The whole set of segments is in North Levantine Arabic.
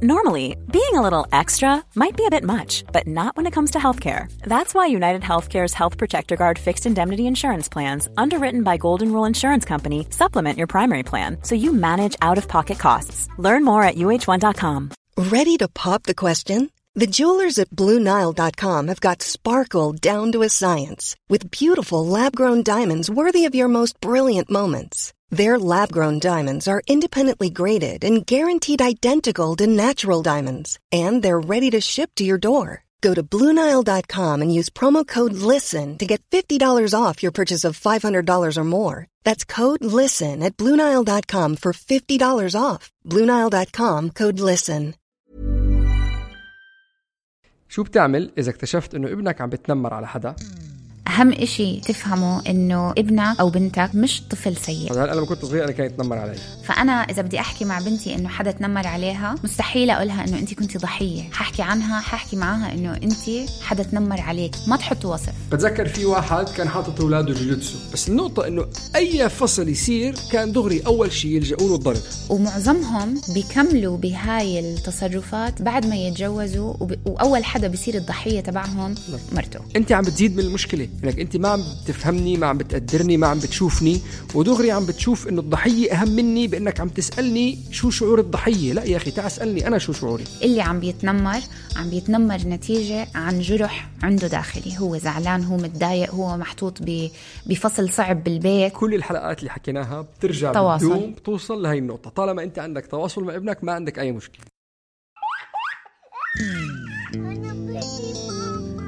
Normally, being a little extra might be a bit much, but not when it comes to healthcare. That's why United Healthcare's Health Protector Guard fixed indemnity insurance plans, underwritten by Golden Rule Insurance Company, supplement your primary plan so you manage out-of-pocket costs. Learn more at uh1.com. Ready to pop the question? The jewelers at BlueNile.com have got sparkle down to a science with beautiful lab-grown diamonds worthy of your most brilliant moments. Their lab-grown diamonds are independently graded and guaranteed identical to natural diamonds, and they're ready to ship to your door. Go to BlueNile.com and use promo code LISTEN to get $50 off your purchase of $500 or more. That's code LISTEN at BlueNile.com for $50 off. BlueNile.com, code LISTEN. شو بتعمل إذا اكتشفت إنه ابنك عم بتنمر على حدا؟ أهم إشي تفهمه إنه ابنك أو بنتك مش طفل سيء. أنا لما كنت صغير أنا كان يتنمر علي. فأنا إذا بدي أحكي مع بنتي إنه حدا تنمر عليها مستحيل أقولها إنه أنت كنتي ضحية. ححكي عنها، ححكي معاها إنه أنت حدا تنمر عليك، ما تحط وصف. بتذكر في واحد كان حاطط أولاده جوجوتسو، بس النقطة إنه أي فصل يصير كان دغري أول شيء يلجأوا له الضرب. ومعظمهم بيكملوا بهاي التصرفات بعد ما يتجوزوا وأول حدا بيصير الضحية تبعهم مرته. أنت عم بتزيد من المشكلة، إنك أنت ما عم بتفهمني، ما عم بتقدرني، ما عم بتشوفني، ودغري عم بتشوف إنه الضحية أهم مني بإنك عم تسألني شو شعور الضحية. لا يا أخي، تعال اسألني أنا شو شعوري. اللي عم بيتنمر نتيجة عن جرح عنده داخلي، هو زعلان، هو متضايق، هو محطوط بفصل صعب بالبيت. كل الحلقات اللي حكيناها بترجع بدوم بتوصل لهي النقطة. طالما أنت عندك تواصل مع ابنك ما عندك أي مشكلة.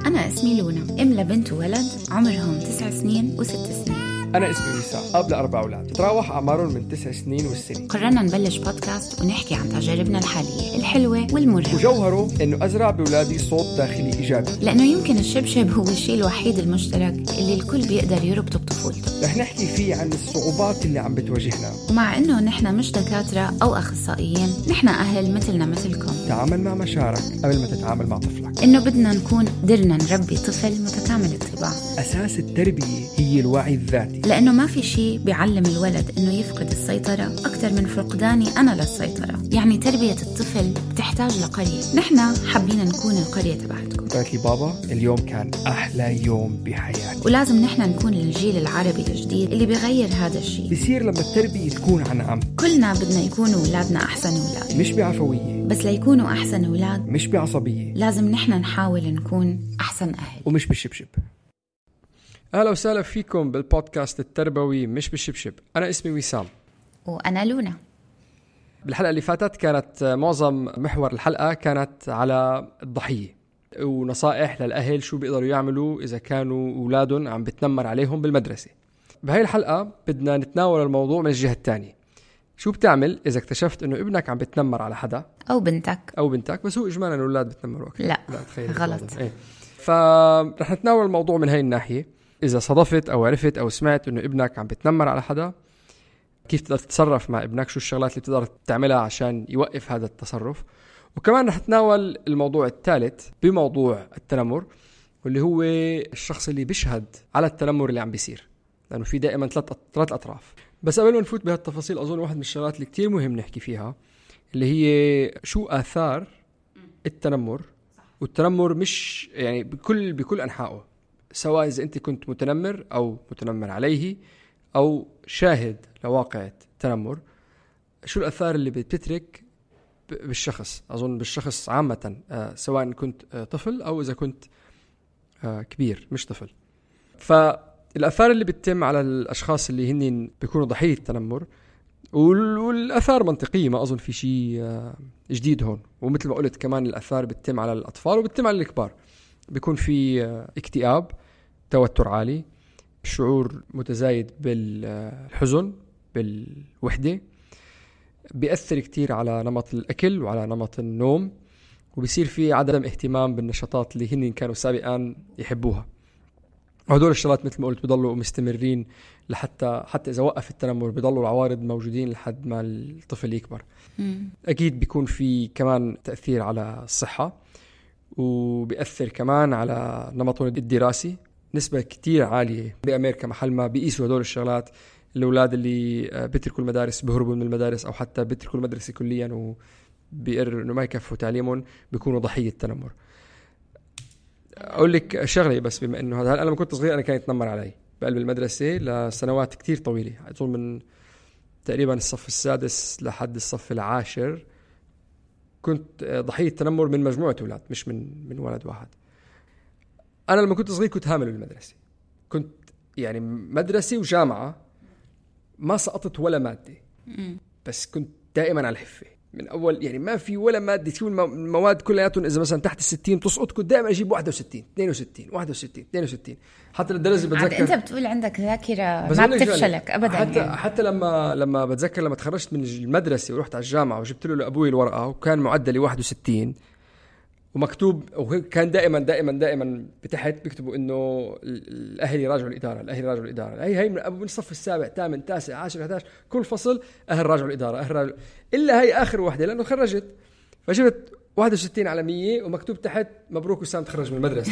أنا اسمي لونا، أم لبنت وولد عمرهم 9 سنين و6 سنين. أنا اسمي وسام، أب ل4 أولاد تتراوح أعمارهم من 9 سنين والسنة. قررنا نبلش بودكاست ونحكي عن تجاربنا الحالية الحلوة والمرة، وجوهره إنه أزرع بأولادي صوت داخلي إيجابي، لأنه يمكن الشبشب هو الشيء الوحيد المشترك اللي الكل بيقدر يربطه بطفولته. رح نحكي فيه عن الصعوبات اللي عم بتواجهنا، ومع إنه نحن مش دكاترة أو أخصائيين، نحن أهل مثلنا مثلكم. تعامل مع مشاعرك قبل ما تتعامل مع طفلك. إنه بدنا نكون قدرنا نربي طفل متكامل الطباع. أساس التربية هي الوعي الذاتي، لأنه ما في شيء بيعلم الولد إنه يفقد السيطرة أكثر من فقداني أنا للسيطرة. يعني تربية الطفل بتحتاج لقرية، نحن حابين نكون القرية تبعتكم. قالت لي بابا اليوم كان أحلى يوم بحياتي. ولازم نحن نكون الجيل العربي الجديد اللي بيغير هذا الشيء. بيصير لما التربية تكون عن عم. كلنا بدنا يكونوا أولادنا أحسن أولاد، مش بعفوية، بس ليكونوا أحسن أولاد مش بعصبية. لازم نحن نحاول نكون أحسن أهل ومش بالشبشب. أهلا وسهلا فيكم بالبودكاست التربوي مش بالشبشب. أنا اسمي وسام وأنا لونا. بالحلقة اللي فاتت كانت معظم محور الحلقة كانت على الضحية ونصائح للأهل شو بيقدروا يعملوا إذا كانوا أولادهم عم بتنمر عليهم بالمدرسة. بهاي الحلقة بدنا نتناول الموضوع من الجهة الثانية. شو بتعمل إذا اكتشفت إنه ابنك عم بتنمر على حدا أو بنتك، بس هو إجمالا الأولاد بتنمروا أكثر. لا تخيل غلط. فرح نتناول الموضوع من هاي الناحية. إذا صدفت أو عرفت أو سمعت إنه ابنك عم بتنمر على حدا، كيف تقدر تتصرف مع ابنك، شو الشغلات اللي بتقدر تعملها عشان يوقف هذا التصرف. وكمان رح نتناول الموضوع الثالث بموضوع التنمر، واللي هو الشخص اللي بيشهد على التنمر اللي عم بيصير، لأنه في دائما ثلاث أطراف. بس قبل ما نفوت بهالتفاصيل أظن واحد من الشغلات اللي كتير مهم نحكي فيها اللي هي شو آثار التنمر. والتنمر مش يعني بكل أنحائه، سواء إذا أنت كنت متنمر أو متنمر عليه أو شاهد لواقع تنمر. شو الأثار اللي بتترك بالشخص؟ أظن بالشخص عامة، سواء كنت طفل أو إذا كنت كبير مش طفل. فالأثار اللي بتتم على الأشخاص اللي هن بيكونوا ضحية التنمر، والأثار منطقية، ما أظن في شيء جديد هون. ومثل ما قلت كمان الأثار بتتم على الأطفال وبتتم على الكبار. بيكون في اكتئاب، توتر عالي، شعور متزايد بالحزن، بالوحدة، بيأثر كتير على نمط الأكل وعلى نمط النوم، وبيصير في عدم اهتمام بالنشاطات اللي هن كانوا سابقا يحبوها. وهدول الشغلات مثل ما قلت بيضلوا مستمرين حتى إذا وقف التنمر بيضلوا العوارض موجودين لحد ما الطفل يكبر. أكيد بيكون في كمان تأثير على الصحة، وبيأثر كمان على نمطهم الدراسي. نسبة كتير عالية بأمريكا محل ما بيقيسوا هدول الشغلات، الأولاد اللي بيتركوا المدارس بيهربوا من المدارس أو حتى بيتركوا المدرسة كليا بيقرر إنه ما يكفوا تعليمهم بيكونوا ضحية تنمر. أقول لك شغلة بس، بما إنه هذا، أنا لما كنت صغير أنا كان يتنمر علي بقلب المدرسة لسنوات كتير طويلة، أظن من تقريبا الصف السادس لحد الصف العاشر كنت ضحية تنمر من مجموعة أولاد، مش من ولد واحد. أنا لما كنت صغير كنت هامل بالمدرسة، كنت يعني مدرسة وجامعة ما سقطت ولا مادة، بس كنت دائما على الحفة من أول، يعني ما في ولا مادة تكون المواد كلياتهم إذا مثلا تحت 60 تسقط، كنت دائما أجيب 61 62 61 62 حتى للدرجة بتذكر. أنت بتقول عندك ذاكرة ما بتفشلك أبدا. حتى لما بتذكر لما تخرجت من المدرسة ورحت على الجامعة وجبت له لأبوي الورقة وكان معدلي 61 ومكتوب، وكان دائما بتحت بيكتبوا إنه الأهل يراجعوا الإدارة، هي من أبو من الصف السابع 8 9 10 11 كل فصل أهل راجعوا الإدارة، إلا هي آخر واحدة لأنه خرجت، فجبت 61 على 100 ومكتوب تحت مبروك وسام تخرج من المدرسة.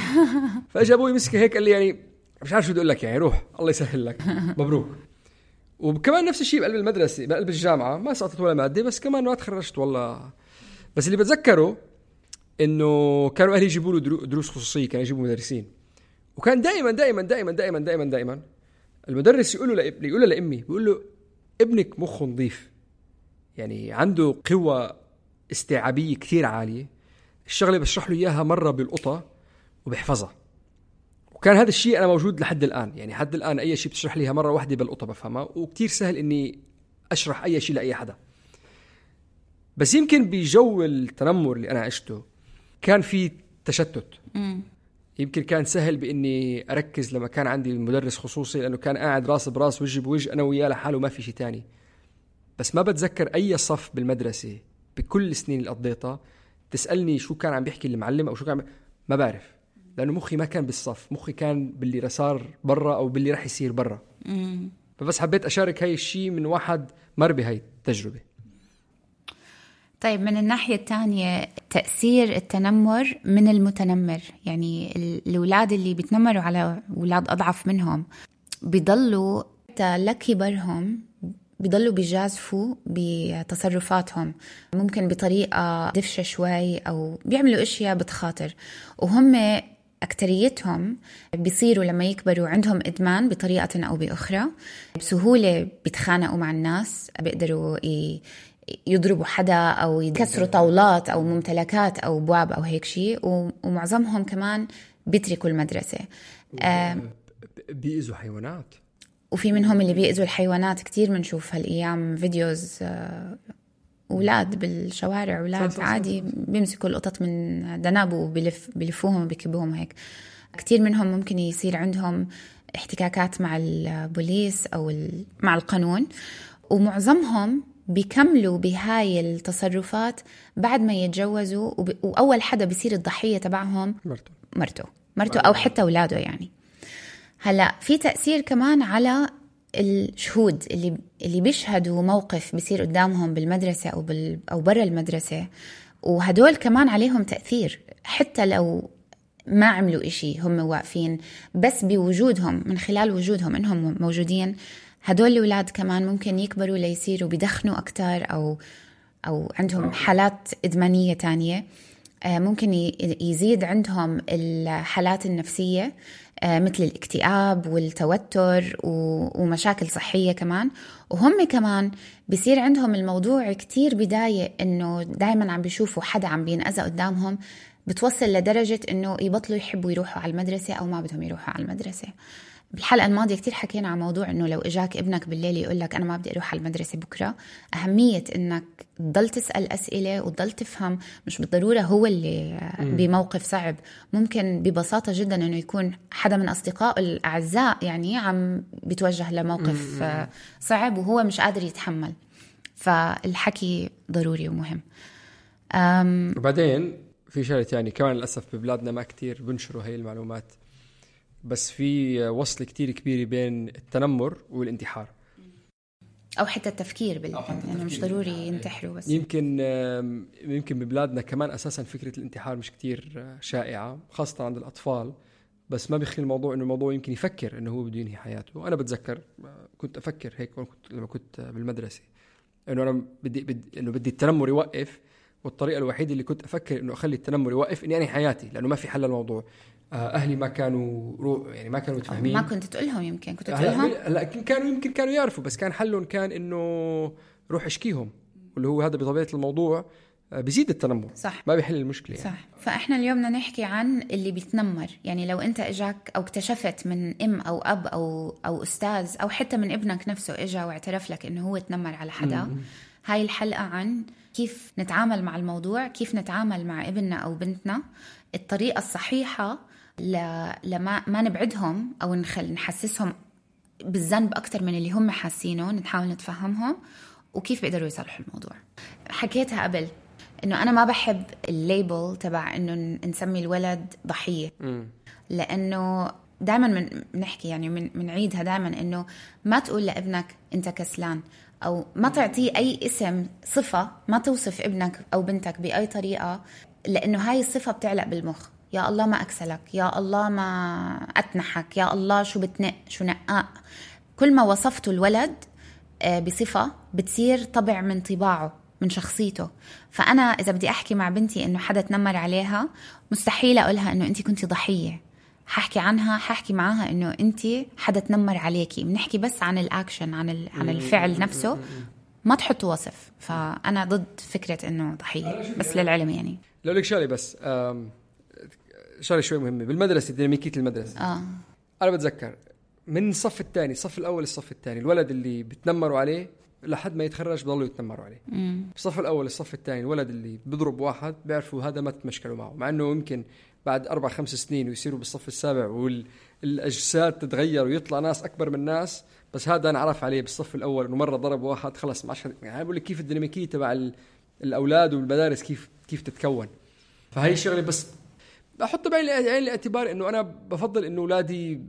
فأجا أبوي مسكه هيك قال لي يعني مش عارف شو بدي أقول لك، يعني روح الله يسهل لك مبروك. وكمان نفس الشيء بقلب المدرسة بقلب الجامعة ما سقطت ولا مادة، بس كمان ما تخرجت والله. بس اللي بتذكره إنه كانوا أهلي يجيبوا له دروس خصوصية، كانوا يجيبوا مدرسين، وكان دائما المدرس يقول له لأمي بيقول له ابنك مخه نظيف، يعني عنده قوة استيعابية كتير عالية، الشغلة بشرح له إياها مرة بالقطة وبحفظها. وكان هذا الشيء أنا موجود لحد الآن، يعني حد الآن أي شيء بتشرح ليها مرة واحدة بالقطة بفهمها، وكتير سهل إني أشرح أي شيء لأي حدا. بس يمكن بجو التنمر اللي أنا عشته كان في تشتت، يمكن كان سهل بإني أركز لما كان عندي مدرس خصوصي، لأنه كان قاعد راس براس وجه بوجه أنا وياه لحاله ما في شيء تاني. بس ما بتذكر أي صف بالمدرسة بكل السنين اللي قضيتها تسألني شو كان عم بيحكي المعلم أو شو كان ما بعرف، لأنه مخي ما كان بالصف، مخي كان باللي صار برا أو باللي رح يصير برا. فبس حبيت أشارك هاي الشيء من واحد مر بهاي التجربة. طيب من الناحية الثانية تأثير التنمر من المتنمر، يعني الأولاد اللي بيتنمروا على أولاد أضعف منهم بيضلوا حتى لكبرهم بيضلوا بيجازفوا بتصرفاتهم، ممكن بطريقة دفشة شوي أو بيعملوا أشياء بتخاطر، وهم أكتريتهم بيصيروا لما يكبروا عندهم إدمان بطريقة أو بأخرى، بسهولة بيتخانقوا مع الناس، بيقدروا يضربوا حدا أو يكسروا طاولات أو ممتلكات أو بواب أو هيك شيء، ومعظمهم كمان بيتركوا المدرسة. بيأذوا حيوانات، وفي منهم اللي بيأذوا الحيوانات كتير. منشوف هالأيام فيديوز أولاد بالشوارع، أولاد عادي بيمسكوا القطط من دناب وبيلفوهم وبيكبوهم هيك. كتير منهم ممكن يصير عندهم احتكاكات مع البوليس أو مع القانون، ومعظمهم بيكملوا بهاي التصرفات بعد ما يتجوزوا، وأول حدا بيصير الضحية تبعهم مرته أو حتى أولاده. يعني هلأ في تأثير كمان على الشهود اللي بيشهدوا موقف بيصير قدامهم بالمدرسة أو برا المدرسة، وهدول كمان عليهم تأثير حتى لو ما عملوا إشي، هم واقفين بس بوجودهم، من خلال وجودهم إنهم موجودين. هدول الأولاد كمان ممكن يكبروا ليصيروا بيدخنوا أكتر أو عندهم حالات إدمانية تانية، ممكن يزيد عندهم الحالات النفسية مثل الاكتئاب والتوتر ومشاكل صحية كمان. وهم كمان بيصير عندهم الموضوع كتير بداية إنه دايما عم بيشوفوا حدا عم بينأذى قدامهم، بتوصل لدرجة إنه يبطلوا يحبوا يروحوا على المدرسة أو ما بدهم يروحوا على المدرسة. بالحلقة الماضية كتير حكينا عن موضوع إنه لو إجاك ابنك بالليل يقولك أنا ما بدي أروح على المدرسة بكرة، أهمية إنك تضل تسأل أسئلة وتضل تفهم. مش بالضرورة هو اللي بموقف صعب، ممكن ببساطة جدا إنه يكون حدا من أصدقائه الأعزاء يعني عم بيتوجه لموقف صعب وهو مش قادر يتحمل. فالحكي ضروري ومهم. وبعدين في شغلة يعني كمان للأسف ببلادنا ما كتير بنشروا هاي المعلومات، بس في وصل كتير كبير بين التنمر والانتحار أو حتى التفكير يعني مش ضروري ينتحروا. بس يمكن ببلادنا كمان أساسا فكرة الانتحار مش كتير شائعة خاصة عند الأطفال، بس ما بيخلي الموضوع إنه الموضوع يمكن يفكر إنه هو بده ينهي حياته. وأنا بتذكر كنت أفكر هيك لما كنت بالمدرسة إنه أنا بدي التنمر يوقف، والطريقة الوحيدة اللي كنت أفكر إنه أخلي التنمر يوقف إني أنهي حياتي، لأنه ما في حل للموضوع. أهلي ما كانوا يعني ما كانوا متفاهمين. ما كنت تقولهم، يمكن كنت تقولهم لا يمكن كانوا يعرفوا، بس كان حلهم كان إنه روح اشكيهم، واللي هو هذا بطبيعة الموضوع بيزيد التنمر. صح. ما بيحل المشكلة صح يعني. فإحنا اليوم بدنا نحكي عن اللي بيتنمر. يعني لو أنت إجاك أو اكتشفت من أم أو أب أو أستاذ أو حتى من ابنك نفسه إجا واعترف لك إنه هو تنمر على حدا، هاي الحلقة عن كيف نتعامل مع الموضوع، كيف نتعامل مع ابننا أو بنتنا، الطريقة الصحيحة لما نبعدهم أو نحسسهم بالذنب أكتر من اللي هم حاسينه، نحاول نتفهمهم وكيف بيقدروا يصلحوا الموضوع. حكيتها قبل إنه أنا ما بحب الليبل تبع إنه نسمي الولد ضحية، لأنه دائما بنحكي يعني منعيدها دائما إنه ما تقول لابنك أنت كسلان، أو ما تعطيه أي اسم صفة، ما توصف ابنك أو بنتك بأي طريقة، لأنه هاي الصفة بتعلق بالمخ. يا الله ما أكسلك، يا الله ما أتنحك، يا الله شو بتنق شو نقاء. كل ما وصفته الولد بصفة بتصير طبع من طباعه من شخصيته. فأنا إذا بدي أحكي مع بنتي إنه حدا تنمر عليها، مستحيل أقولها إنه أنت كنتي ضحية. ححكي معاها إنه أنت حدا تنمر عليكي. بنحكي بس عن الأكشن، عن الفعل نفسه، ما تحطوا وصف. فأنا ضد فكرة إنه ضحية، بس للعلم يعني. لو لك شغلة بس شغلة شوي مهمة بالمدرسة، ديناميكية المدرسة. أنا بتذكر من الصف الثاني، الصف الأول الصف الثاني، الولد اللي بتنمروا عليه لحد ما يتخرج بضلوا يتنمروا عليه. الصف الأول الصف الثاني، الولد اللي بيضرب واحد بيعرفوا هذا ما تمشكلوا معه، مع أنه يمكن بعد 4-5 سنين ويصيروا بالصف السابع والأجساد تتغير ويطلع ناس أكبر من ناس، بس هذا نعرف عليه بالصف الأول إنه مرة ضرب واحد خلص ما عشان. يعني بقول لك كيف الديناميكية تبع الأولاد والمدارس كيف تتكون. فهي الشغلة بس بحط بعين الاعتبار إنه أنا بفضل إنه أولادي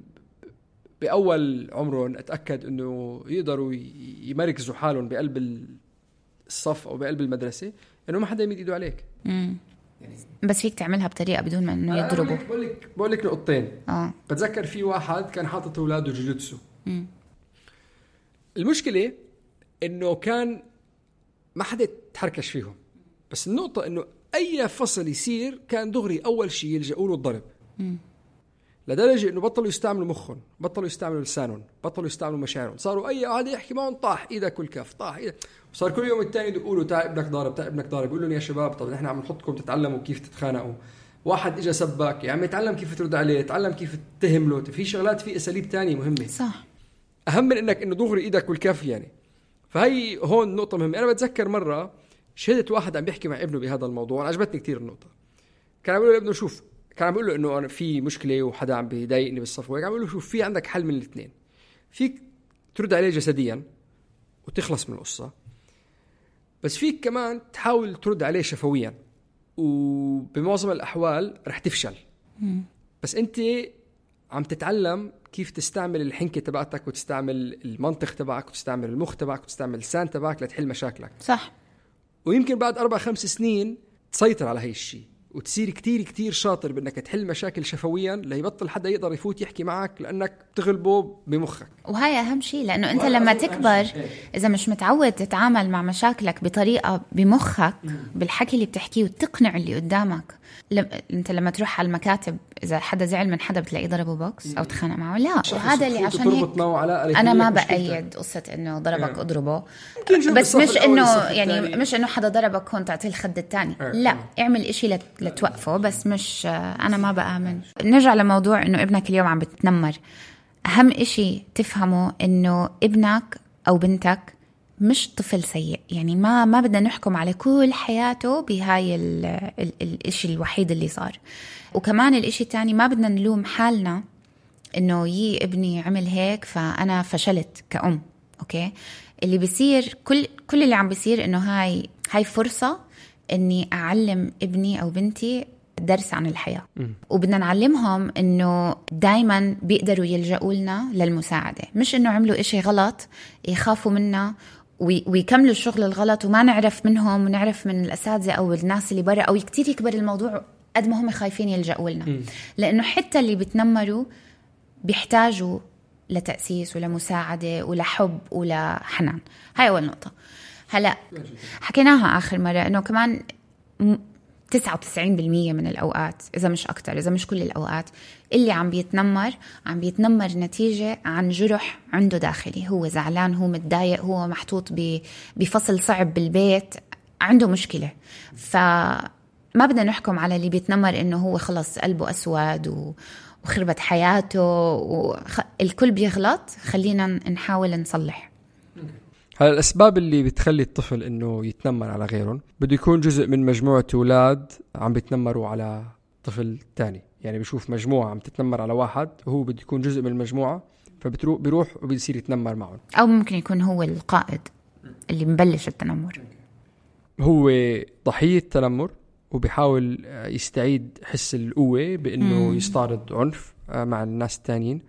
بأول عمرهم أتأكد إنه يقدروا يمركزوا حالهم بقلب الصف أو بقلب المدرسة، إنه ما حدا يمد إيده عليك. يعني بس فيك تعملها بطريقة بدون ما إنه يضربوا. بقول لك نقطتين. بتذكر في واحد كان حاطط أولاده جوجوتسو. المشكلة إنه كان ما حدا تحركش فيهم، بس النقطة إنه أي فصل يصير كان دغري أول شيء يلجأوا له الضرب. لدرجة إنه بطلوا يستعملوا مخهم، بطلوا يستعملوا لسانهم، بطلوا يستعملوا مشاعرهم. صاروا أي واحد يحكي معهم طاح إيدك والكف، طاح إيدك. وصار كل يوم التاني يقولوا تعال ابنك ضارب، تعال ابنك ضارب. يقولوا يا شباب طب نحن عم نحطكم تتعلموا كيف تتخانقوا. واحد إجا سبك، يعني يتعلم كيف ترد عليه، يتعلم كيف تتهم له. في شغلات، في أساليب تانية مهمة. صح. أهم من إنك إنه دغري إيدك والكف يعني. فهي هون نقطة مهمة. أنا بتذكر مرة شهدت واحد عم بيحكي مع ابنه بهذا الموضوع، عجبتني كتير النقطة. كان عم بيقول له ابنه شوف، كان عم بيقول له إنه أنا في مشكلة وحدا عم بيضايقني بالصف، وهيك عم بيقول له شوف في عندك حل من الاثنين. فيك ترد عليه جسديا وتخلص من القصة، بس فيك كمان تحاول ترد عليه شفويا، وبمعظم الأحوال رح تفشل. بس أنت عم تتعلم كيف تستعمل الحنكة تبعتك، وتستعمل المنطق تبعك، وتستعمل المخ تبعك، وتستعمل اللسان تبعك لتحل مشاكلك. صح. ويمكن بعد 4-5 سنين تسيطر على هاي الشيء، وتصير كتير كتير شاطر بأنك تحل مشاكل شفويا، ليبطل حدا يقدر يفوت يحكي معك لأنك تغلبه بمخك. وهي أهم شيء، لأنه أنت لما تكبر إذا مش متعود تتعامل مع مشاكلك بطريقة بمخك بالحكي اللي بتحكيه وتقنع اللي قدامك. أنت لما تروح على المكاتب إذا حدا زعل من حدا بتلاقيه ضربه بوكس أو تخانق معه. لا، وهذا اللي عشان هيك أنا ما بأيد قصة إنه ضربك أضربه، بس مش إنه يعني مش إنه حدا ضربك هون تعطيه الخد التاني. لا، اعمل إشي لتوقفه، بس مش أنا ما بآمن. نرجع لموضوع إنه ابنك اليوم عم بتنمر. أهم إشي تفهمه إنه ابنك أو بنتك مش طفل سيء. يعني ما بدنا نحكم على كل حياته بهاي الاشي الوحيد اللي صار. وكمان الاشي التاني ما بدنا نلوم حالنا انه ابني عمل هيك فانا فشلت كأم. اوكي، اللي بيصير كل اللي عم بيصير انه هاي فرصة اني اعلم ابني او بنتي درس عن الحياة. وبدنا نعلمهم انه دايما بيقدروا يلجأوا لنا للمساعدة، مش انه عملوا اشي غلط يخافوا منا ويكملوا الشغل الغلط وما نعرف منهم ونعرف من الأساتذة أو الناس اللي برا، أو كتير يكبر الموضوع قد ما هم خايفين يلجأوا لنا. لأنه حتى اللي بتنمروا بيحتاجوا لتأسيس ولمساعدة ولحب ولحنان. هاي أول نقطة. هلأ حكيناها آخر مرة إنه كمان 99% من الأوقات، إذا مش أكتر، إذا مش كل الأوقات، اللي عم بيتنمر نتيجة عن جرح عنده داخلي. هو زعلان، هو متضايق، هو محطوط بفصل صعب بالبيت، عنده مشكلة. فما بدنا نحكم على اللي بيتنمر إنه هو خلص قلبه أسود وخربت حياته الكل بيغلط. خلينا نحاول نصلح. هلا الأسباب اللي بتخلي الطفل إنه يتنمر على غيرهم بده يكون جزء من مجموعة أولاد عم بيتنمروا على طفل تاني. يعني بيشوف مجموعة عم تتنمر على واحد وهو بده يكون جزء من المجموعة، فبيروح وبيصير يتنمر معهم. أو ممكن يكون هو القائد اللي مبلش التنمر، هو ضحية تنمر وبيحاول يستعيد حس القوة بإنه يستعرض عنف مع الناس التانيين.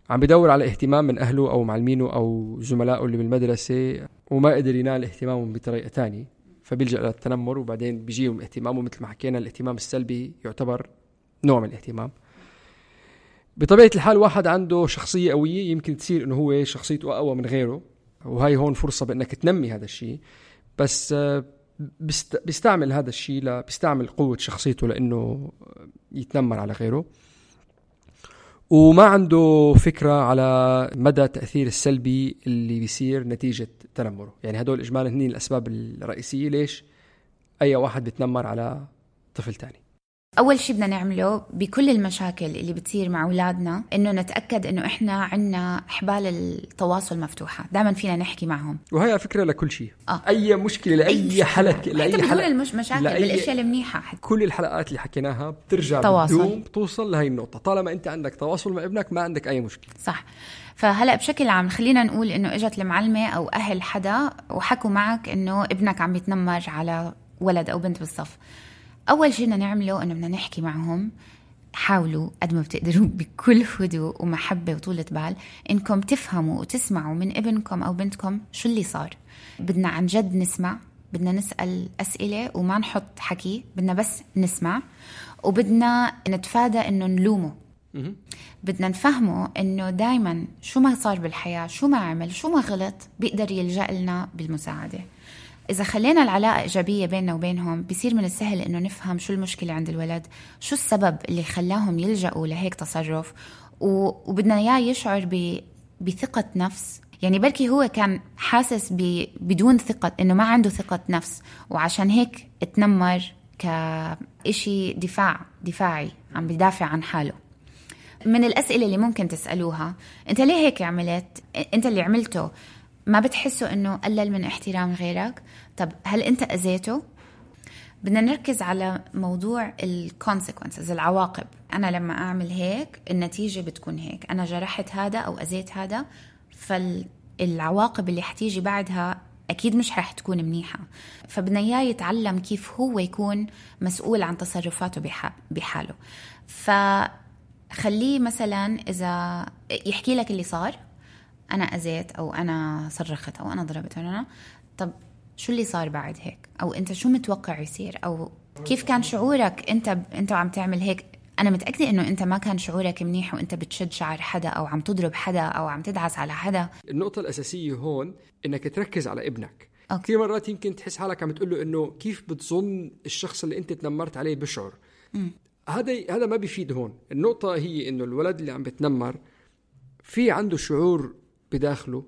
عم بدور على اهتمام من أهله أو معلمينه أو زملائه اللي بالمدرسة وما قدر ينال اهتمامهم بطريقة تانية، فبيلجأ للتنمر وبعدين بيجيهم اهتمامه. مثل ما حكينا الاهتمام السلبي يعتبر نوع من الاهتمام. بطبيعة الحال واحد عنده شخصية قوية يمكن تصير إنه هو شخصيته أقوى من غيره، وهاي هون فرصة بأنك تنمي هذا الشيء. بس بيستعمل هذا الشيء بيستعمل قوة شخصيته لأنه يتنمر على غيره، وما عنده فكرة على مدى التأثير السلبي اللي بيصير نتيجة تنمره. يعني هدول إجمالا هنين الأسباب الرئيسية ليش أي واحد بيتنمر على طفل تاني. أول شيء بدنا نعمله بكل المشاكل اللي بتصير مع أولادنا إنه نتأكد إنه إحنا عنا حبال التواصل مفتوحة، دائما فينا نحكي معهم. وهي فكرة لكل شيء. أي مشكلة لأي حلقة لأي حلقة مشاكل بالأشياء المنيحة. كل الحلقات اللي حكيناها بترجع بدوم توصل لهي النقطة. طالما أنت عندك تواصل مع ابنك ما عندك أي مشكلة. صح. فهلأ بشكل عام خلينا نقول إنه إجت المعلمة أو أهل حدا وحكوا معك إنه ابنك عم بيتنمر على ولد أو بنت بالصف. أول شيء بدنا نعمله إنه بدنا نحكي معهم. حاولوا قد ما بتقدروا بكل هدوء ومحبة وطولة بال إنكم تفهموا وتسمعوا من ابنكم أو بنتكم شو اللي صار. بدنا عن جد نسمع، بدنا نسأل أسئلة وما نحط حكي، بدنا بس نسمع. وبدنا نتفادى إنه نلومه. بدنا نفهمه إنه دايما شو ما صار بالحياة، شو ما عمل، شو ما غلط، بيقدر يلجأ لنا بالمساعدة. إذا خلينا العلاقة إيجابية بيننا وبينهم بيصير من السهل إنه نفهم شو المشكلة عند الولد، شو السبب اللي خلاهم يلجأوا لهيك تصرف. وبدنا إياه يشعر بثقة نفس. يعني بركي هو كان حاسس بدون ثقة، إنه ما عنده ثقة نفس، وعشان هيك اتنمر كإشي دفاعي، عم بيدافع عن حاله. من الأسئلة اللي ممكن تسألوها: أنت ليه هيك عملت؟ أنت اللي عملته ما بتحسه إنه قلل من احترام غيرك؟ طب هل أنت أذيته؟ بدنا نركز على موضوع الكونسيكونسز، العواقب. أنا لما أعمل هيك النتيجة بتكون هيك، أنا جرحت هذا أو أذيت هذا، فالعواقب اللي حتيجي بعدها أكيد مش رح تكون منيحة. فبدنا إياه يتعلم كيف هو يكون مسؤول عن تصرفاته بحاله. فخليه مثلا إذا يحكي لك اللي صار، أنا أذيت أو أنا صرخت أو أنا ضربت أنا، طب شو اللي صار بعد هيك؟ أو أنت شو متوقع يصير؟ أو كيف كان شعورك أنت عم تعمل هيك؟ أنا متأكدة إنه أنت ما كان شعورك منيح وأنت بتشد شعر حدا أو عم تضرب حدا أو عم تدعس على حدا. النقطة الأساسية هون إنك تركز على ابنك. كثير مرات يمكن تحس حالك عم تقول له إنه كيف بتظن الشخص اللي أنت تنمرت عليه بشعر. هذا ما بيفيد هون. النقطة هي إنه الولد اللي عم بتنمر في عنده شعور بداخله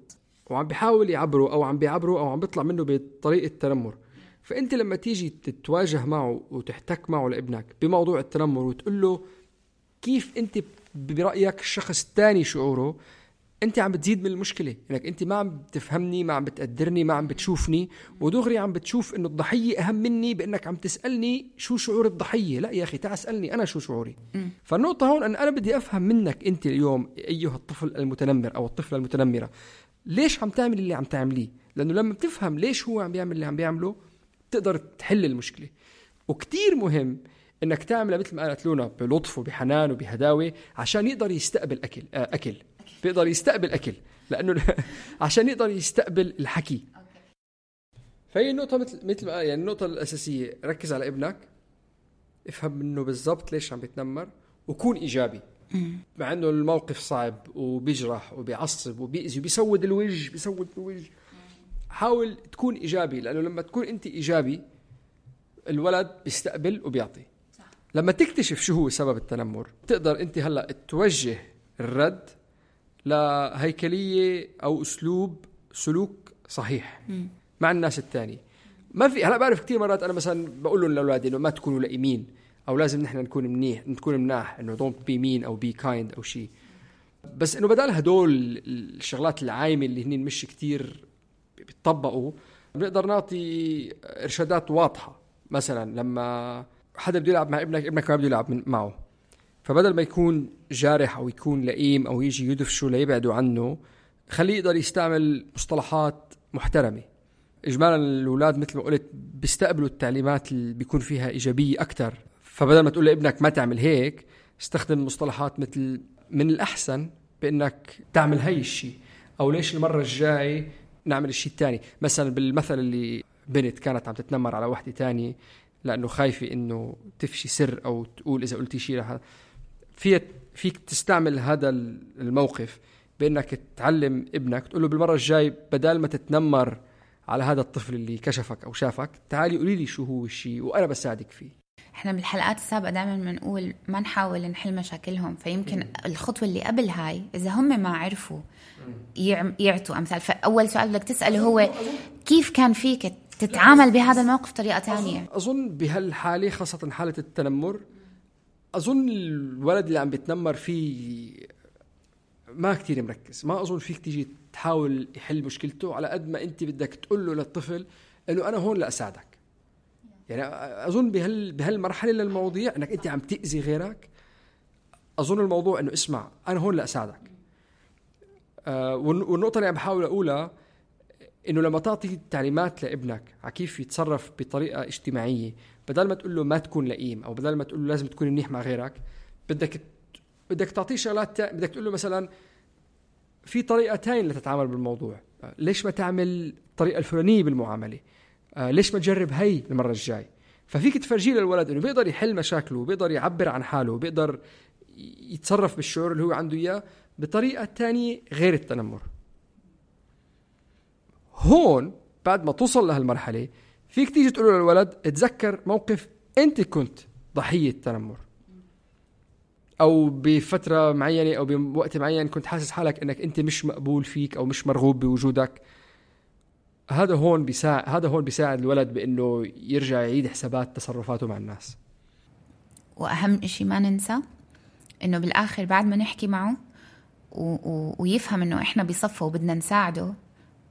وعم بيحاول يعبره أو عم بيعبره أو عم بيطلع منه بطريقة تنمر. فأنت لما تيجي تتواجه معه وتحتك معه لابنك بموضوع التنمر وتقول له كيف أنت برأيك الشخص الثاني شعوره، أنت عم بتزيد من المشكلة. إنك أنت ما عم بتفهمني، ما عم بتقدرني، ما عم بتشوفني، ودغري عم بتشوف إنه الضحية أهم مني بأنك عم تسألني شو شعور الضحية. لا يا أخي، تعال اسألني أنا شو شعوري. فالنقطة هون أن أنا بدي أفهم منك أنت اليوم أيها الطفل المتنمر أو الطفلة المتنمرة، ليش عم تعمل اللي عم تعمليه؟ لأنه لما بتفهم ليش هو عم بيعمل اللي عم بيعمله تقدر تحل المشكلة. وكتير مهم إنك تعمل مثل ما قالت لونا بلطف وبحنان وبهداوة عشان يقدر يستقبل أكل بيقدر يستقبل أكل، لأنه عشان يقدر يستقبل الحكي. فهي النقطة مثل ما يعني النقطة الأساسية، ركز على ابنك، افهم منه بالضبط ليش عم بيتنمر، وكون إيجابي. مع أنه الموقف صعب وبيجرح وبيعصب وبيأذي وبيسود الوجه، حاول تكون إيجابي، لأنه لما تكون أنت إيجابي الولد بيستقبل وبيعطي. لما تكتشف شو هو سبب التنمر تقدر انت هلأ توجه الرد لهيكلية او اسلوب سلوك صحيح مع الناس التاني. ما في هلا بعرف كتير مرات انا مثلا بقول لهم لاولادي انه ما تكونوا لئيمين او لازم نحن نكون مناح انه don't be mean او be kind او شيء، بس انه بدل هدول الشغلات العايمه اللي هنين مش كتير بيطبقوا بنقدر نعطي ارشادات واضحه. مثلا لما حدا بده يلعب مع ابنك ما بده يلعب معه، فبدل ما يكون جارح او يكون لئيم او يجي يدفشه ليبعدوا عنه، خليه يقدر يستعمل مصطلحات محترمه. اجمالا الاولاد مثل ما قلت بيستقبلوا التعليمات اللي بيكون فيها ايجابيه اكثر، فبدل ما تقول لابنك ما تعمل هيك استخدم مصطلحات مثل من الاحسن بانك تعمل هاي الشيء، او ليش المره الجاي نعمل الشيء الثاني. مثلا بالمثل اللي بنت كانت عم تتنمر على واحده تانية لانه خايفه انه تفشي سر او تقول اذا قلتي شيء رح فيك تستعمل هذا الموقف بانك تعلم ابنك تقول له بالمره الجاي بدل ما تتنمر على هذا الطفل اللي كشفك او شافك تعالي قولي لي شو هو الشيء وانا بساعدك فيه. احنا بالحلقات السابقه دائما بنقول ما نحاول نحل مشاكلهم، فيمكن الخطوه اللي قبل هاي اذا هم ما عرفوا يعطوا امثال. فاول سؤال بدك تساله هو كيف كان فيك تتعامل بهذا الموقف طريقه تانية. اظن بهالحاله خاصه حاله التنمر اظن الولد اللي عم بيتنمر فيه ما كتير مركز، ما اظن فيك تيجي تحاول يحل مشكلته على قد ما انت بدك تقول له للطفل انه انا هون لاساعدك. يعني اظن بهالمرحله للمواضيع انك انت عم تاذي غيرك، اظن الموضوع انه اسمع انا هون لاساعدك. والنقطه اللي عم بحاول اقولها انه لما تعطي تعليمات لابنك على كيف يتصرف بطريقه اجتماعيه، بدل ما تقول له ما تكون لئيم او بدل ما تقول له لازم تكون منيح مع غيرك، بدك تعطيه شغلات بدك تقول له مثلا في طريقه تانية لتتعامل بالموضوع، ليش ما تعمل الطريقه الفلانيه بالمعامله، ليش ما تجرب هاي المره الجاي. ففيك تفرجيه للولد انه بيقدر يحل مشاكله وبيقدر يعبر عن حاله وبيقدر يتصرف بالشعور اللي هو عنده اياه بطريقه تانية غير التنمر. هون بعد ما توصل لهالمرحله فيك تيجي تقول له للولد اتذكر موقف انت كنت ضحيه تنمر، او بفتره معينه او بوقت معين كنت حاسس حالك انك انت مش مقبول فيك او مش مرغوب بوجودك. هذا هون بيساعد الولد بانه يرجع يعيد حسابات تصرفاته مع الناس. واهم شيء ما ننسى انه بالاخر بعد ما نحكي معه ويفهم انه احنا بصفه وبدنا نساعده،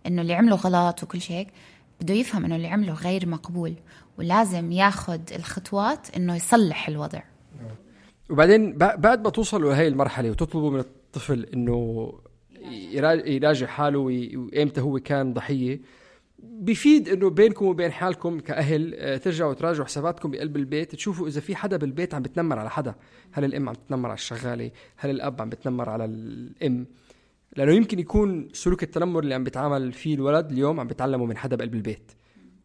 انه اللي عمله غلط وكل شيء بده يفهم انه اللي عمله غير مقبول ولازم ياخد الخطوات انه يصلح الوضع. وبعدين بعد ما توصلوا لهي المرحله وتطلبوا من الطفل انه يراجع حاله وإمتى هو كان ضحيه، بيفيد انه بينكم وبين حالكم كأهل ترجعوا تراجعوا حساباتكم بقلب البيت، تشوفوا اذا في حدا بالبيت عم بتنمر على حدا. هل الام عم بتنمر على الشغاله؟ هل الاب عم بتنمر على الام؟ لانه يمكن يكون سلوك التنمر اللي عم بيتعامل فيه الولد اليوم عم بيتعلمه من حدا بقلب البيت،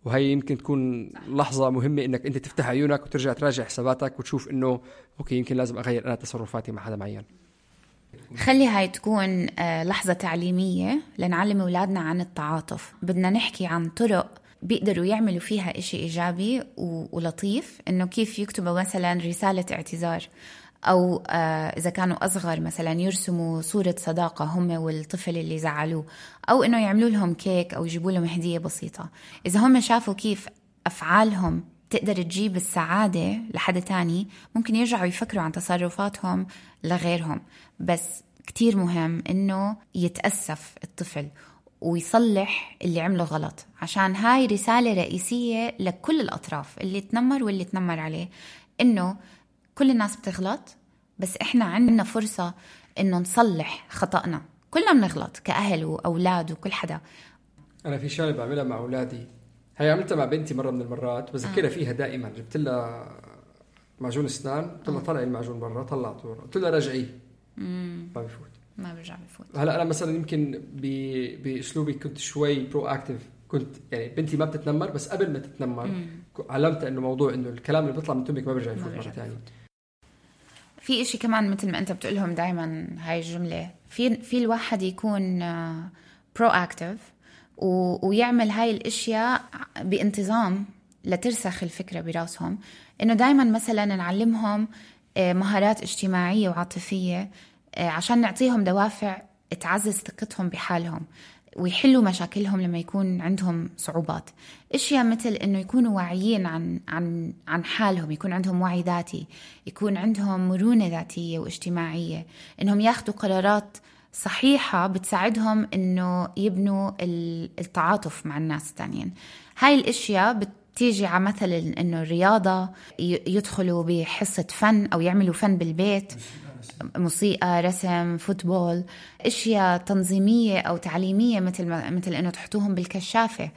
وهي يمكن تكون لحظه مهمه انك انت تفتح عيونك وترجع تراجع حساباتك وتشوف انه اوكي يمكن لازم اغير انا تصرفاتي مع حدا معين. خلي هاي تكون لحظة تعليمية لنعلم أولادنا عن التعاطف. بدنا نحكي عن طرق بيقدروا يعملوا فيها إشي إيجابي ولطيف، إنه كيف يكتبوا مثلا رسالة اعتذار، أو إذا كانوا أصغر مثلا يرسموا صورة صداقة هم والطفل اللي زعلوه، أو إنه يعملوا لهم كيك أو يجيبوا لهم هدية بسيطة. إذا هم شافوا كيف أفعالهم تقدر تجيب السعادة لحد تاني ممكن يرجعوا يفكروا عن تصرفاتهم لغيرهم. بس كتير مهم إنه يتأسف الطفل ويصلح اللي عمله غلط، عشان هاي رسالة رئيسية لكل الأطراف اللي تنمر واللي تنمر عليه، إنه كل الناس بتغلط بس إحنا عندنا فرصة إنه نصلح خطأنا. كلنا بنغلط كأهل وأولاد وكل حدا. أنا في شغلة بعملها مع أولادي، هي عملتها مع بنتي مرة من المرات بذكرها فيها دائما. جبت لها معجون اسنان، قلت لها طلعي المعجون برا، طلعته برا، قلت لها رجعيه ما بيرجع بفوت. هلا انا مثلا يمكن باسلوبي كنت شوي برو اكتيف، كنت يعني بنتي ما بتتنمر بس قبل ما تتنمر علمت انه موضوع انه الكلام اللي بيطلع من تمك ما بيرجع يفوت مره ثانيه. في إشي كمان مثل ما انت بتقولهم دائما هاي الجمله، في الواحد يكون برو اكتيف ويعمل هاي الاشياء بانتظام لترسخ الفكرة براسهم، إنه دايما مثلا نعلمهم مهارات اجتماعية وعاطفية عشان نعطيهم دوافع تعزز ثقتهم بحالهم ويحلوا مشاكلهم لما يكون عندهم صعوبات. اشياء مثل انه يكونوا واعيين عن حالهم، يكون عندهم وعي ذاتي، يكون عندهم مرونة ذاتية واجتماعية، انهم ياخدوا قرارات صحيحة بتساعدهم انه يبنوا التعاطف مع الناس التانيين. هاي الاشياء بتيجي على مثل انه الرياضة، يدخلوا بحصة فن او يعملوا فن بالبيت، موسيقى، رسم، فوتبول، اشياء تنظيمية او تعليمية مثل انه تحطوهم بالكشافة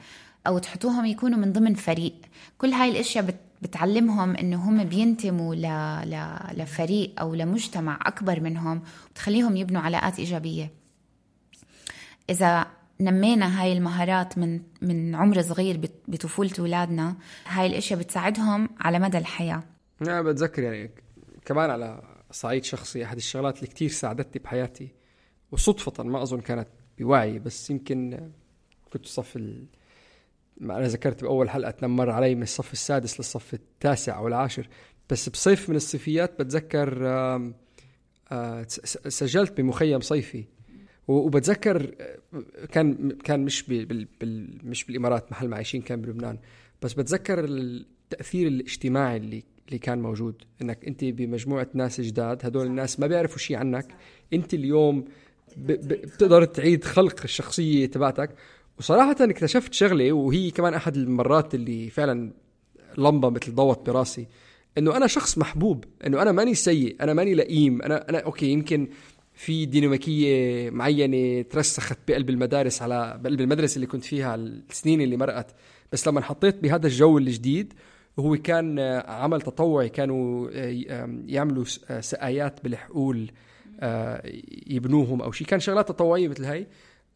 او تحطوهم يكونوا من ضمن فريق. كل هاي الاشياء بتعلمهم انه هم بينتموا لفريق او لمجتمع اكبر منهم، وبتخليهم يبنوا علاقات ايجابية. اذا نمينا هاي المهارات من عمر صغير بطفولة أولادنا، هاي الاشياء بتساعدهم على مدى الحياة. أنا بتذكر يعني كمان على صعيد شخصي، أحد الشغلات اللي كتير ساعدتني بحياتي وصدفة ما أظن كانت بوعي، بس يمكن كنت صف ما أنا ذكرت بأول حلقة تنمر علي من الصف السادس للصف التاسع أو العاشر، بس بصيف من الصيفيات بتذكر سجلت بمخيم صيفي، وبتذكر كان مش بالإمارات محل ما عايشين، كان بلبنان، بس بتذكر التأثير الاجتماعي اللي كان موجود، انك انت بمجموعة ناس جداد، هدول الناس ما بيعرفوا شيء عنك، انت اليوم بتقدر تعيد خلق الشخصية تبعتك. وصراحة اكتشفت شغلة، وهي كمان احد المرات اللي فعلا لمبة مثل ضوت براسي، انه انا شخص محبوب، انه انا ماني سيء، انا ماني لئيم، انا اوكي، يمكن في ديناميكية معينة ترسخت بقلب المدارس، على بقلب المدرسة اللي كنت فيها السنين اللي مرقت، بس لما حطيت بهذا الجو الجديد، وهو كان عمل تطوعي، كانوا يعملوا سقايات بالحقول يبنوهم أو شيء، كان شغلات تطوعية مثل هاي،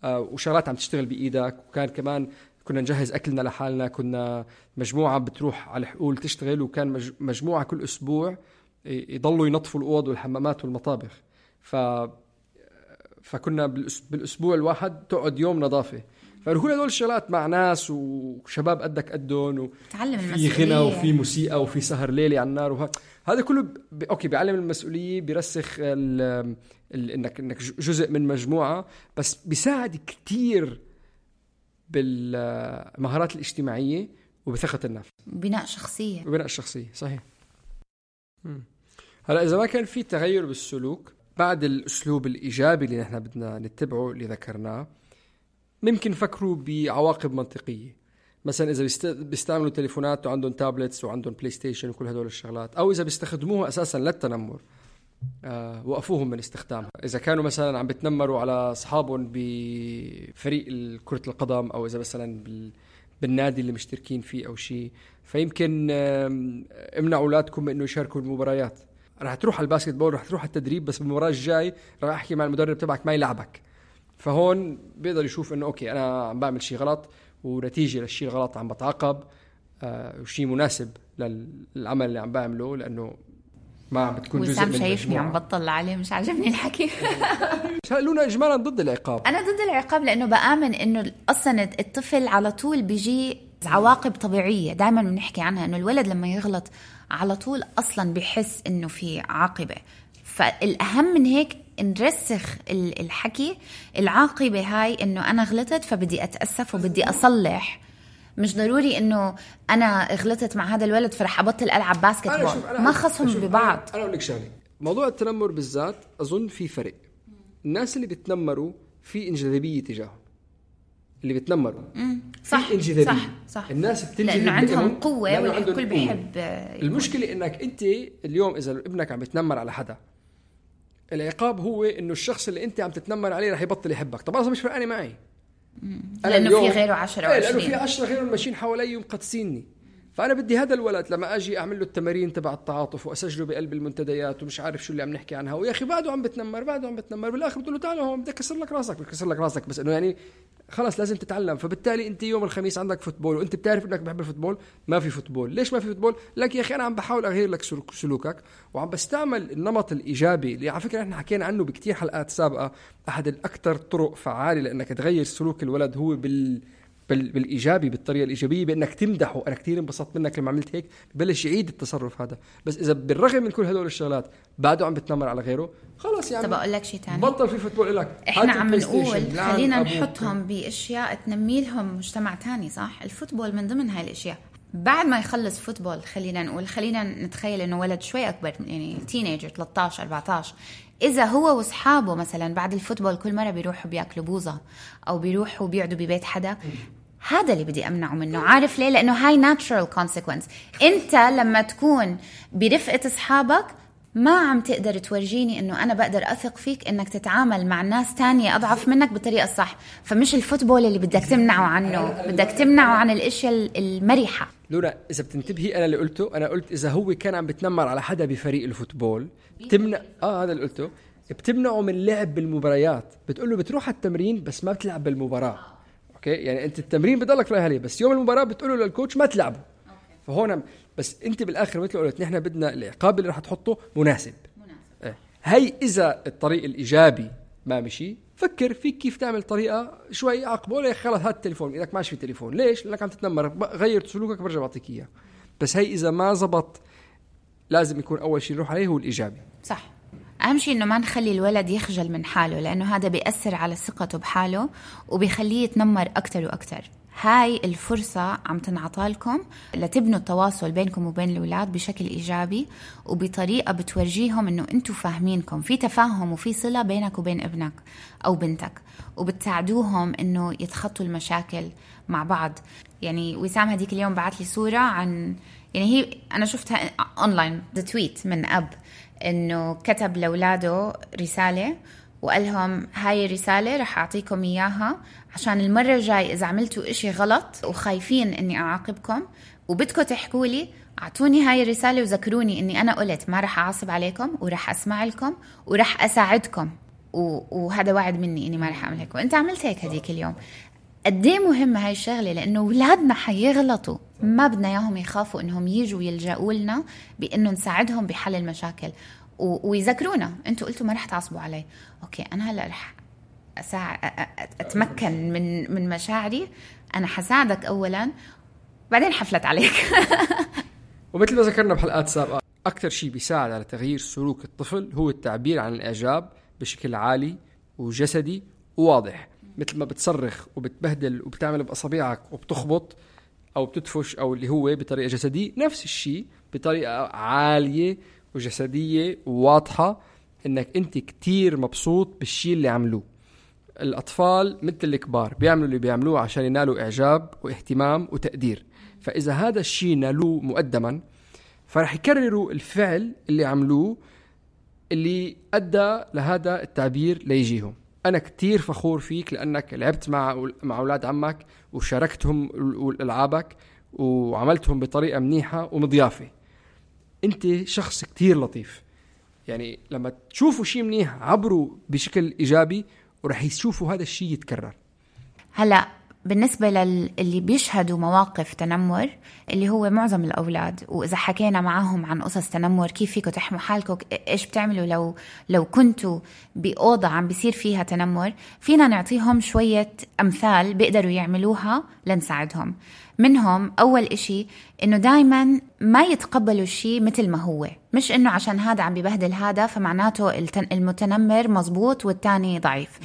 وشغلات عم تشتغل بإيدك. وكان كمان كنا نجهز أكلنا لحالنا، كنا مجموعة بتروح على الحقول تشتغل، وكان مجموعة كل أسبوع يضلوا ينظفوا الأوض والحمامات والمطابخ. فكنا بالأسبوع الواحد تقعد يوم نظافة. فكل هدول الشغلات مع ناس وشباب قدك قدهم، وفي غنى وفي موسيقى وفي سهر ليلي على النار، هذا كله اوكي بيعلم المسؤولية، بيرسخ انك جزء من مجموعة، بس بيساعد كتير بالمهارات الاجتماعية وبثقة النفس، بناء الشخصية. صحيح. هلا إذا ما كان في تغير بالسلوك بعد الأسلوب الإيجابي اللي نحن بدنا نتبعه اللي ذكرناه، ممكن فكروا بعواقب منطقية. مثلا إذا بيستعملوا تليفونات وعندهم تابلتس وعندهم بلاي ستيشن وكل هدول الشغلات، أو إذا بيستخدموها أساسا للتنمر، وقفوهم من استخدامها. إذا كانوا مثلا عم بتنمروا على أصحابهم بفريق كرة القدم، أو إذا مثلا بالنادي اللي مشتركين فيه أو شيء، فيمكن امنعوا أولادكم إنه يشاركوا المباريات. رح تروح على الباسكت بول، رح تروح على التدريب، بس بالمباراة الجاي رح أحكي مع المدرب تبعك ما يلعبك. فهون بيقدر يشوف إنه أوكي أنا عم بعمل شيء غلط، ونتيجة للشيء الغلط عم بتعاقب، وشيء مناسب للعمل اللي عم بعمله، لأنه ما عم بتكون جزء من المجموعة. شايفني عم بطل عليه، مش عاجبني الحكي. لونا إجمالا ضد العقاب. أنا ضد العقاب، لأنه بآمن إنه أصلا الطفل على طول بيجي عواقب طبيعية دائما بنحكي عنها، إنه الولد لما يغلط على طول أصلا بيحس إنه في عاقبة. فالأهم من هيك نرسخ الحكي، العاقبة هاي إنه أنا غلطت فبدي أتأسف وبدي أصلح. مش ضروري إنه أنا غلطت مع هذا الولد فرح أبطل ألعب باسكت بول، ما خصهم ببعض. أنا أقول لك شغلة، موضوع التنمر بالذات أظن في فرق. الناس اللي بتنمروا في انجذابية تجاههم، اللي بتنمروا صح انجذابية. صح. الناس بتنجذب لأنه عندهم قوة والكل بيحب. المشكلة إنك أنت اليوم إذا ابنك عم بتنمر على حدا، العقاب هو إنه الشخص اللي أنت عم تتنمر عليه رح يبطل يحبك. طب أنا مش فرقاني معي، لأنه في غيره 10 و20، لأنه في 10 غيرهم ماشيين حوالي ومقدسيني. فأنا بدي هذا الولد لما أجي أعمل له التمارين تبع التعاطف وأسجله بقلب المنتديات ومش عارف شو اللي عم نحكي عنها، ويا أخي بعده عم بتنمر بالآخر بتقول له تعال هون بدي أكسر لك راسك، بس إنه يعني خلاص لازم تتعلم. فبالتالي أنت يوم الخميس عندك فوتبول وأنت بتعرف إنك بحب الفوتبول، ما في فوتبول. ليش ما في فوتبول؟ لك يا أخي أنا عم بحاول أغير لك سلوكك، وعم بستعمل النمط الإيجابي اللي على فكرة إحنا حكينا عنه بكتير حلقات سابقة. أحد الأكثر طرق فعالة لأنك تغير سلوك الولد هو بالإيجابي، بالطريقة الإيجابية، بأنك تمدحه. أنا كتير انبسطت منك لما عملت هيك، ببلش يعيد التصرف هذا. بس إذا بالرغم من كل هدول الشغلات بعده عم بتنمر على غيره، خلاص يعني. طب أقول لك شيء تاني، بطل في فوتبول لك. إحنا عم نقول خلينا نحطهم بأشياء تنمي لهم مجتمع تاني، صح؟ الفوتبول من ضمن هاي الأشياء. بعد ما يخلص فوتبول خلينا نتخيل إنه ولد شوي أكبر، يعني تينيجر 13-14، إذا هو وصحابه مثلا بعد الفوتبول كل مرة بيروحوا بيأكلوا بوظة أو بيروحوا بيقعدوا ببيت حدا، هذا اللي بدي أمنعه منه. عارف ليه؟ لأنه هاي natural consequence. أنت لما تكون برفقة أصحابك ما عم تقدر تورجيني إنه أنا بقدر أثق فيك إنك تتعامل مع ناس تانية أضعف منك بالطريقة الصح. فمش الفوتبول اللي بدك تمنعه عنه، بدك تمنعه عن الأشياء المريحة. لولا إذا بتنتبهي أنا اللي قلته، أنا قلت إذا هو كان عم بتنمر على حدا بفريق الفوتبول بتمنع هذا اللي قلته، بتمنعه من لعب بالمباريات. بتقوله بتروح التمرين بس ما بتلعب بالمباراة. أوكي، يعني أنت التمرين بضلك رايح عليه، بس يوم المباراة بتقوله للكوتش ما تلعبه. فهون بس أنت بالآخر مثل قلت نحن بدنا العقاب اللي راح تحطه مناسب. هاي إذا الطريق الإيجابي ما مشي، فكر فيك كيف تعمل طريقة شوي عقبه. ليه خلص هات التليفون إذا ماشي في تليفون، ليش؟ لأنك عم تتنمر، غير سلوكك برجع بعطيك إياه. بس هاي إذا ما زبط لازم يكون أول شيء نروح عليه هو الإيجابي. صح. أهم شيء إنه ما نخلي الولد يخجل من حاله، لأنه هذا بيأثر على ثقته بحاله وبيخليه يتنمر أكتر وأكتر. هاي الفرصة عم تنعطالكم لتبنوا التواصل بينكم وبين الأولاد بشكل إيجابي وبطريقة بتورجيهم إنه أنتوا فاهمينكم، في تفاهم وفي صلة بينك وبين ابنك أو بنتك، وبتساعدوهم إنه يتخطوا المشاكل مع بعض. يعني وسام هديك اليوم بعت لي صورة عن، يعني هي أنا شفتها أونلاين، تويت من أب إنه كتب لأولاده رسالة وقال لهم هاي الرسالة رح أعطيكم إياها عشان المرة الجاي إذا عملتوا إشي غلط وخايفين إني أعاقبكم وبدكم تحكوا لي، أعطوني هاي الرسالة وذكروني إني أنا قلت ما رح أعصب عليكم ورح أسمع لكم ورح أساعدكم، وهذا وعد مني إني ما رح أعمل هيك. وإنت عملت هيك هديك اليوم. قديه مهمة هاي الشغلة، لأنه أولادنا حيغلطوا، ما بدنا إياهم يخافوا إنهم يجوا يلجأوا لنا بإنه نساعدهم بحل المشاكل ويذكرونا أنتوا قلتوا ما رح تعصبوا علي. أوكي، أنا هلأ رح أتمكن من مشاعري، أنا حساعدك أولا بعدين حفلت عليك. ومثل ما ذكرنا بحلقات سابقة، أكثر شيء بيساعد على تغيير سلوك الطفل هو التعبير عن الإعجاب بشكل عالي وجسدي وواضح. مثل ما بتصرخ وبتبهدل وبتعمل بأصابعك وبتخبط أو بتدفش أو اللي هو بطريقة جسدية، نفس الشيء بطريقة عالية وجسدية وواضحة إنك أنت كتير مبسوط بالشيء اللي عملوه. الأطفال مثل الكبار بيعملوا اللي بيعملوه عشان ينالوا إعجاب واهتمام وتقدير، فإذا هذا الشيء نالوه مقدما فرح يكرروا الفعل اللي عملوه اللي أدى لهذا التعبير ليجيهم. أنا كتير فخور فيك لأنك لعبت مع أولاد عمك وشاركتهم ألعابك وعملتهم بطريقة منيحة ومضيافة. أنت شخص كتير لطيف. يعني لما تشوفوا شيء منيح عبروا بشكل إيجابي ورح يشوفوا هذا الشيء يتكرر. هلأ بالنسبة للي بيشهدوا مواقف تنمر اللي هو معظم الأولاد، وإذا حكينا معهم عن قصص تنمر كيف فيكم تحموا حالكم، إيش بتعملوا لو كنتوا بأوضة عم بيصير فيها تنمر، فينا نعطيهم شوية أمثال بيقدروا يعملوها لنساعدهم. منهم أول إشي إنه دايما ما يتقبلوا الشيء مثل ما هو، مش إنه عشان هذا عم ببهدل هذا فمعناته المتنمر مزبوط والتاني ضعيف.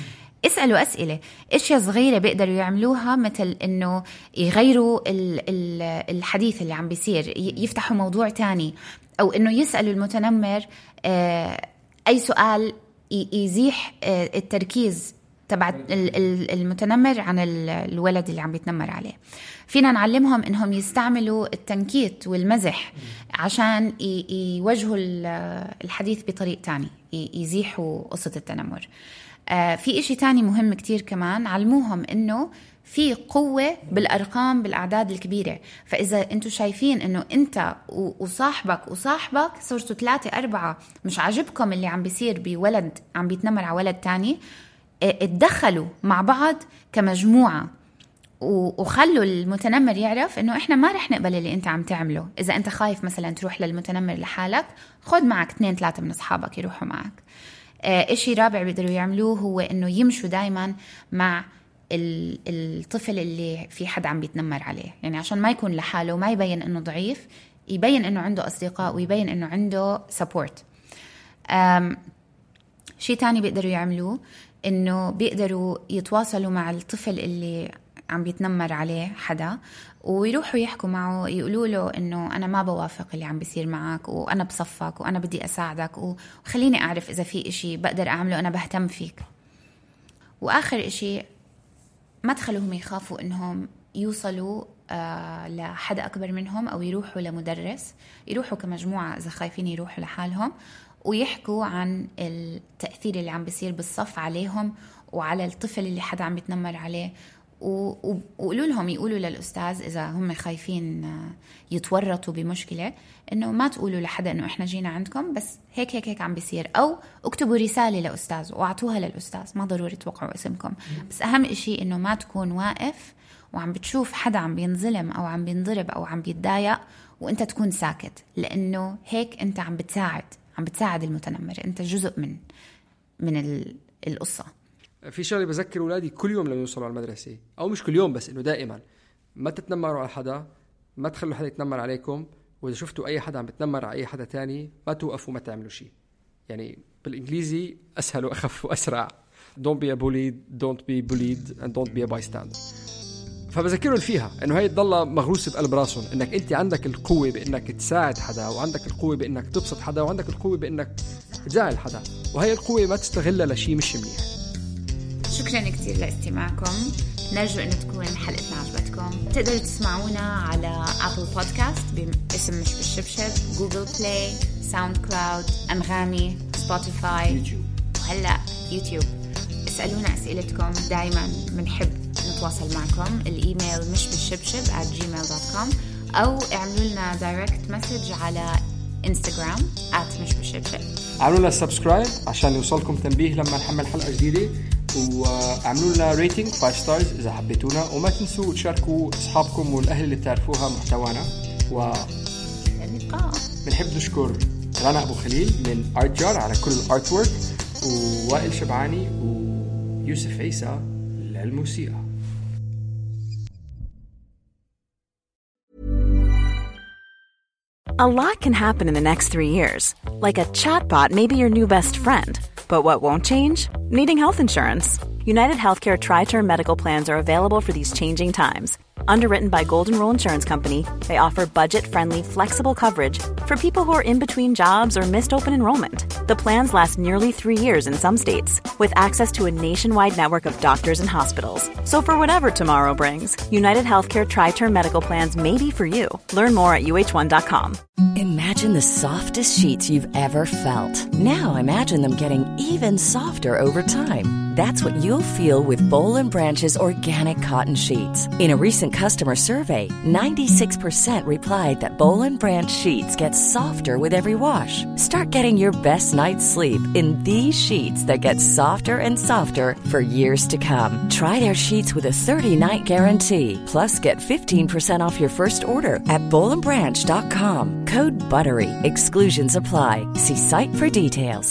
اسألوا أسئلة، إشياء صغيرة بيقدروا يعملوها مثل إنه يغيروا الحديث اللي عم بيصير، يفتحوا موضوع تاني، أو إنه يسألوا المتنمر أي سؤال يزيح التركيز تبع المتنمر عن الولد اللي عم بيتنمر عليه. فينا نعلمهم إنهم يستعملوا التنكيت والمزح عشان يوجهوا الحديث بطريقة تاني، يزيحوا قصة التنمر. في إشي تاني مهم كتير كمان، علموهم إنه في قوة بالأرقام بالأعداد الكبيرة. فإذا أنتوا شايفين إنه أنت وصاحبك صرتوا 3-4 مش عاجبكم اللي عم بيصير بولد عم بيتنمر على ولد تاني، اتدخلوا مع بعض كمجموعة وخلوا المتنمر يعرف إنه إحنا ما رح نقبل اللي أنت عم تعمله. إذا أنت خايف مثلا تروح للمتنمر لحالك، خد معك 2-3 من أصحابك يروحوا معك. إشي رابع بيقدروا يعملوه هو إنه يمشوا دايما مع الطفل اللي في حد عم بيتنمر عليه، يعني عشان ما يكون لحاله وما يبين إنه ضعيف، يبين إنه عنده أصدقاء ويبين إنه عنده سبورت. شيء تاني بيقدروا يعملوه إنه بيقدروا يتواصلوا مع الطفل اللي عم بيتنمر عليه حدا، ويروحوا يحكوا معه، يقولوا له إنه أنا ما بوافق اللي عم بيصير معك، وأنا بصفك، وأنا بدي أساعدك، وخليني أعرف إذا في إشي بقدر أعمله، أنا بهتم فيك. وآخر إشي ما تخلوهم يخافوا إنهم يوصلوا لحدا أكبر منهم أو يروحوا لمدرس، يروحوا كمجموعة إذا خايفين يروحوا لحالهم ويحكوا عن التأثير اللي عم بيصير بالصف عليهم وعلى الطفل اللي حدا عم بيتنمر عليه، وقولوا لهم، يقولوا للأستاذ إذا هم خايفين يتورطوا بمشكلة، إنه ما تقولوا لحدا إنه إحنا جينا عندكم، بس هيك هيك هيك عم بيصير، أو اكتبوا رسالة لأستاذ وأعطوها للأستاذ، ما ضروري توقعوا اسمكم. بس أهم إشي إنه ما تكون واقف وعم بتشوف حدا عم بينظلم أو عم بينضرب أو عم بيتضايق وإنت تكون ساكت، لأنه هيك أنت عم بتساعد المتنمر، أنت جزء من القصة. في شغله بذكر أولادي كل يوم لما يوصلوا على المدرسة، أو مش كل يوم بس إنه دائما ما تتنمروا على حدا، ما تخلوا حدا يتنمر عليكم، وإذا شفتوا أي حدا عم بتنمر على أي حدا تاني ما توقفوا، ما تعملوا شيء. يعني بالإنجليزي أسهل وأخف وأسرع، don't be a bully, don't be bullied and don't be a bystander. فبذكرهم فيها إنه هاي تضل مغروسة بقلب راسهم، إنك أنت عندك القوة بإنك تساعد حدا، وعندك القوة بإنك تبسط حدا، وعندك القوة بإنك تزعل حدا، وهي القوة ما تستغلها لشيء مش منيح. شكرا كتير لاستماعكم، نرجو أن تكون حلقتنا عجبتكم. تقدروا تسمعونا على أبل بودكاست باسم مش بالشبشب، جوجل بلاي، ساوند كلاود، أنغامي، سبوتيفاي، وهلأ يوتيوب. اسألونا أسئلتكم، دايما بنحب نتواصل معكم. الإيميل مش بالشبشب @gmail.com، أو اعملوا لنا دايركت مسج على انستغرام @مش بالشبشب. اعملوا لنا سبسكرايب عشان يوصلكم تنبيه لما نحمل حلقة جديدة، واعملوا لنا ريتنج 5 ستارز إذا حبيتونا، وما تنسوا تشاركوا أصحابكم والأهل اللي تعرفوها محتوانا. اللقاء. بنحب نشكر رنا أبو خليل من أرتجار على كل الارت وورك، ووائل شبعاني ويوسف عيسى للموسيقى. A lot can happen in the next 3 years. Like a chatbot may be your new best friend. But what won't change? Needing health insurance. United Healthcare Tri-Term Medical Plans are available for these changing times. Underwritten by Golden Rule Insurance Company, they offer budget-friendly, flexible coverage for people who are in between jobs or missed open enrollment. The plans last nearly 3 years in some states, with access to a nationwide network of doctors and hospitals. So for whatever tomorrow brings, United Healthcare Tri-Term Medical Plans may be for you. Learn more at uh1.com. Imagine the softest sheets you've ever felt. Now imagine them getting even softer over time. That's what you'll feel with Boll & Branch's organic cotton sheets. In a recent customer survey, 96% replied that Boll & Branch sheets get softer with every wash. Start getting your best night's sleep in these sheets that get softer and softer for years to come. Try their sheets with a 30-night guarantee. Plus, get 15% off your first order at bollandbranch.com. Code BUTTERY. Exclusions apply. See site for details.